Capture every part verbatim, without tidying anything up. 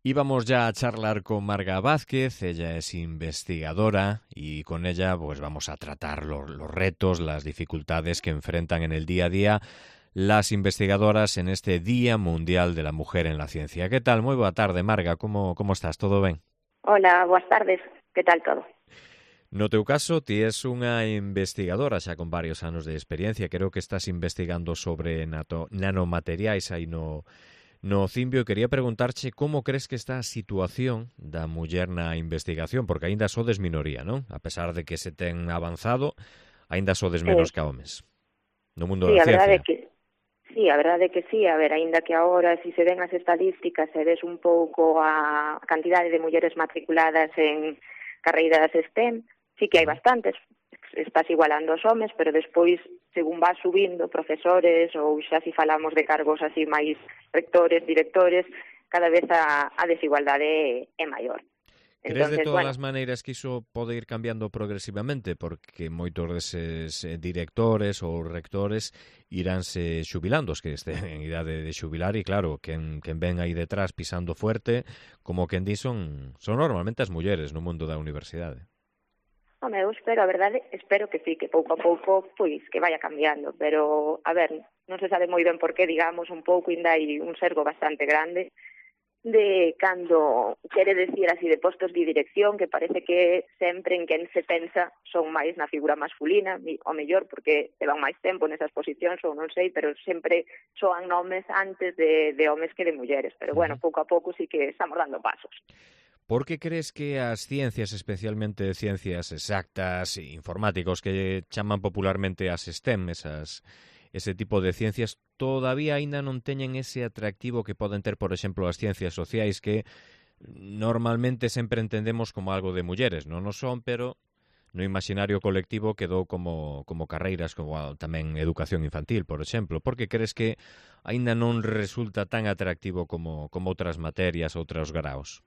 Íbamos ya a charlar con Marga Vázquez, ella es investigadora y con ella pues vamos a tratar los, los retos, las dificultades que enfrentan en el día a día las investigadoras en este Día Mundial de la Mujer en la Ciencia. ¿Qué tal? Muy boa tarde, Marga. Como, como estás? Todo ben? Hola, boas tardes. Que tal todo? No teu caso, ti és unha investigadora xa con varios anos de experiencia. Creo que estás investigando sobre nato, nanomateriais aí no, no Cimbio. E quería preguntarche como crees que está a situación da muller na investigación, porque aínda sodes minoría, non? A pesar de que se ten avanzado, aínda sodes menos Eh, que homes no mundo sí, da a verdade é ciencia. que sí, a verdade é que sí, a ver, aínda que agora si se ven as estadísticas e ves un pouco a cantidade de mulleres matriculadas en carreiras STEM, sí que hai bastantes, estás igualando os homes, pero despois, según vas subindo, profesores ou xa si falamos de cargos así máis rectores, directores, cada vez a, a desigualdade é maior. Crees de Entonces, todas bueno, as maneiras que iso pode ir cambiando progresivamente? Porque moitos deses directores ou rectores iránse xubilando, os que estén en idade de xubilar, e claro, quen, quen ven aí detrás pisando fuerte, como quen di, son, son normalmente as mulleres no mundo da universidade. Home, eu espero, a verdade, espero que sí, que pouco a pouco, pois, que vaya cambiando, pero, a ver, non se sabe moi ben por qué, digamos, un pouco, ainda hai un sergo bastante grande de cando quere decir así de postos de dirección, que parece que sempre en quen se pensa son máis na figura masculina, o mellor porque levan máis tempo nesas posicións ou non sei, pero sempre soan nomes antes de, de homes que de mulleres, pero bueno, Uh-huh. pouco a pouco sí que estamos dando pasos. Por que crees que as ciencias, especialmente ciencias exactas e informáticos, que chaman popularmente as STEM, esas, ese tipo de ciencias, todavía aínda non teñen ese atractivo que poden ter, por exemplo, as ciencias sociais, que normalmente sempre entendemos como algo de mulleres? Non o son, pero no imaginario colectivo quedou como, como carreiras, como tamén educación infantil, por exemplo. Por que crees que aínda non resulta tan atractivo como, como outras materias, outros graos?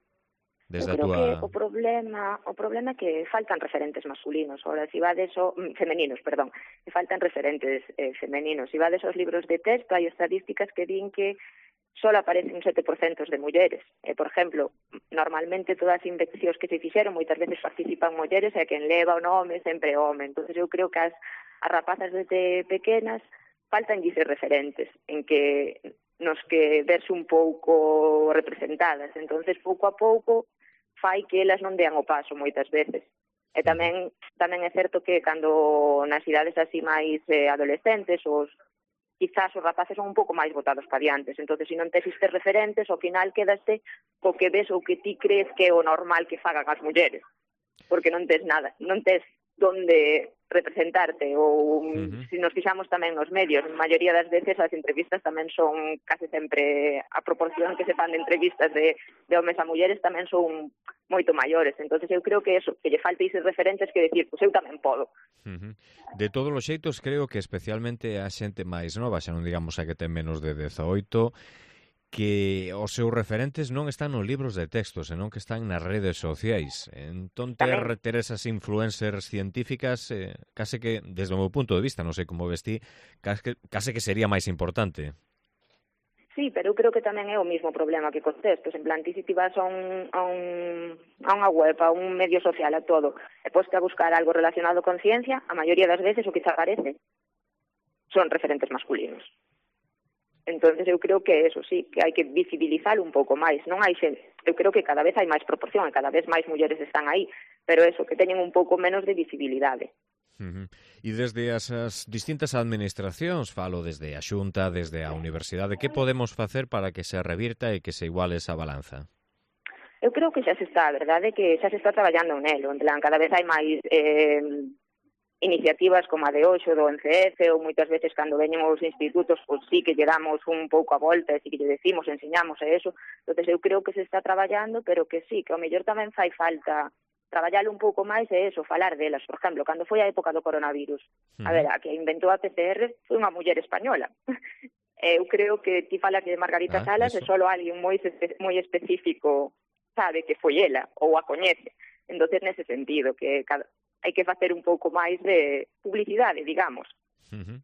Eu Desde a creo que túa... o problema o problema é que faltan referentes masculinos. Ahora, si vades o, femeninos, perdón, que faltan referentes eh, femeninos. Si vades aos libros de texto, hai estadísticas que din que só aparecen un sete por cento de mulleres. Eh, por exemplo, normalmente todas as investigacións que se fixeron moitas veces participan mulleres e quen leva o nome sempre home. Entonces eu creo que as, as rapazas desde pequenas faltan dices referentes en que nos que verse un pouco representadas. Entonces, pouco a pouco fai que elas non dean o paso moitas veces. E tamén tamén é certo que cando nas idades así máis eh, adolescentes, os quizás os rapaces son un pouco máis botados pa diantes. Entonces, se non tes estes referentes, ao final quedaste co que ves ou que ti crees que é o normal que fagan as mulleres. Porque non tes nada, non tes donde representarte, ou uh-huh. Se nos fixamos tamén nos medios, a maioría das veces as entrevistas tamén son case sempre a proporción que se fan de entrevistas de, de homes a mulleres tamén son moito maiores. Entonces eu creo que eso, que lle falta eses referentes que decir, pois eu tamén podo. Uh-huh. De todos os xeitos, creo que especialmente a xente máis nova, xa non digamos a que ten menos de dezaoito, que os seus referentes non están nos libros de texto, senón que están nas redes sociais. Entón, ter, ter esas influencers científicas, eh, case que, desde o meu punto de vista, non sei como vestí, case, case que sería máis importante. Sí, pero eu creo que tamén é o mismo problema que cos textos. En plan, ti si ti vas a, un, a, un, a unha web, a un medio social, a todo, e poste a buscar algo relacionado con ciencia, a maioría das veces o que te aparece son referentes masculinos. Entonces eu creo que eso sí, que hai que visibilizar un pouco máis. Non hai xente, eu creo que cada vez hai máis proporción e cada vez máis mulleres están aí, pero eso, que teñen un pouco menos de visibilidade. Uh-huh. E desde as, as distintas administracións, falo desde a Xunta, desde a Universidade, que podemos facer para que se revirta e que se iguale esa balanza? Eu creo que xa se está, a verdade, que xa se está traballando nelo, en plan, cada vez hai máis eh, iniciativas como a de hoxe do N C F, ou moitas veces cando veñen os institutos, pois sí que lle damos un pouco a volta, e sí que lle decimos, enseñamos e eso. Entonces eu creo que se está traballando, pero que sí, que ao mellor tamén fai falta traballar un pouco máis e eso, falar delas. Por exemplo, cando foi a época do coronavirus, uh-huh. a ver, a que inventou a P C R foi unha muller española. Eu creo que ti falas de Margarita ah, Salas e só alguén moi, moi específico sabe que foi ela, ou a coñece. Entonces, nese sentido, que cada, hai que facer un pouco máis de publicidade, digamos. Uh-huh.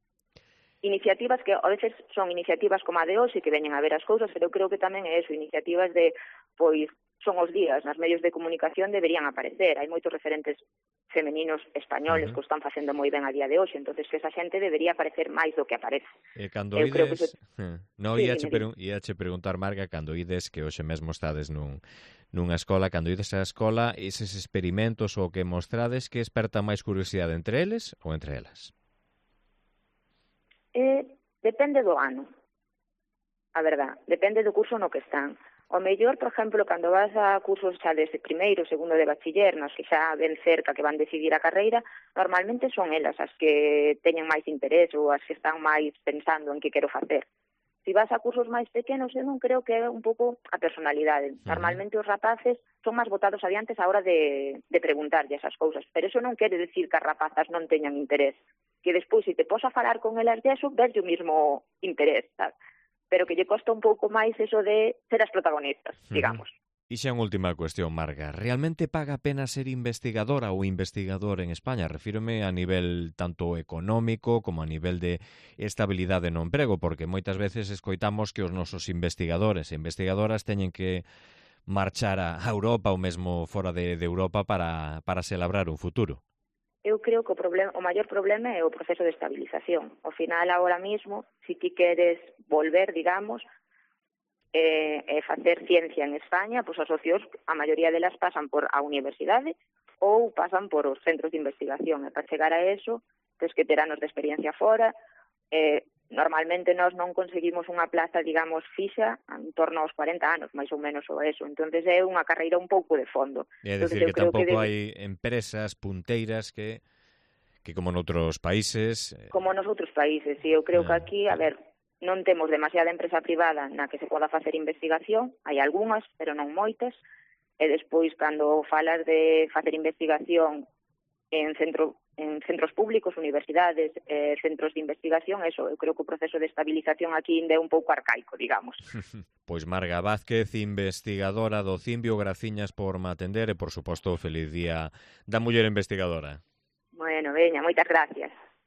Iniciativas que a veces son iniciativas como a de hoxe, que veñen a ver as cousas, pero eu creo que tamén é eso, iniciativas de pois son os días, nos medios de comunicación deberían aparecer, hai moitos referentes femeninos españoles uh -huh. que o están facendo moi ben a día de hoxe, entonces que esa xente debería aparecer máis do que aparece. E cando Eu ides... creo que se... no, sí, iache, pregun... iache preguntar, Marga, cando ides, que hoxe mesmo estades nun, nunha escola, cando ides á escola, eses experimentos ou que mostrades, que esperta máis curiosidade entre eles ou entre elas? Eh, depende do ano, a verdad, depende do curso no que están. O mellor, por exemplo, cando vas a cursos xa desde primeiro, segundo de bachiller, nos que xa ven cerca que van decidir a carreira, normalmente son elas as que teñen máis interés ou as que están máis pensando en que quero facer. Se vas a cursos máis pequenos, eu non creo que é un pouco a personalidade. Normalmente os rapaces son máis botados adiantes a hora de, de preguntarlle esas cousas, pero eso non quere decir que as rapazas non teñan interés. Que despois, se te pos a falar con elas de eso, ves o mismo interés, sabes? Pero que lle costa un pouco máis eso de ser as protagonistas, digamos. Uh-huh. E xa unha última cuestión, Marga. Realmente paga a pena ser investigadora ou investigador en España? Refírome a nivel tanto económico como a nivel de estabilidade no emprego, porque moitas veces escoitamos que os nosos investigadores e investigadoras teñen que marchar a Europa ou mesmo fora de, de Europa para, para se labrar un futuro. Eu creo que o, problema, o maior problema é o proceso de estabilización. Ao final, agora mismo, se ti queres volver, digamos, e, e facer ciencia en España, pois os socios, a maioría delas pasan por a universidade ou pasan por os centros de investigación. E para chegar a eso, tens que ter anos de experiencia fora. E, normalmente nós non conseguimos unha plaza, digamos, fixa en torno aos cuarenta anos, máis ou menos ou eso. Entonces é unha carreira un pouco de fondo. É dicir, que tampouco que de... hai empresas punteiras que, que como noutros países... Como nos outros países, e eu creo ah, que aquí, a ver, non temos demasiada empresa privada na que se poda facer investigación, hai algunhas, pero non moitas, e despois, cando falas de facer investigación en centro en centros públicos, universidades, eh, centros de investigación, eso, eu creo que o proceso de estabilización aquí ainda é un pouco arcaico, digamos. Pois Marga Vázquez, investigadora do Cimbio, graciñas por me atender e, por suposto, feliz día da muller investigadora. Bueno, veña, moitas gracias.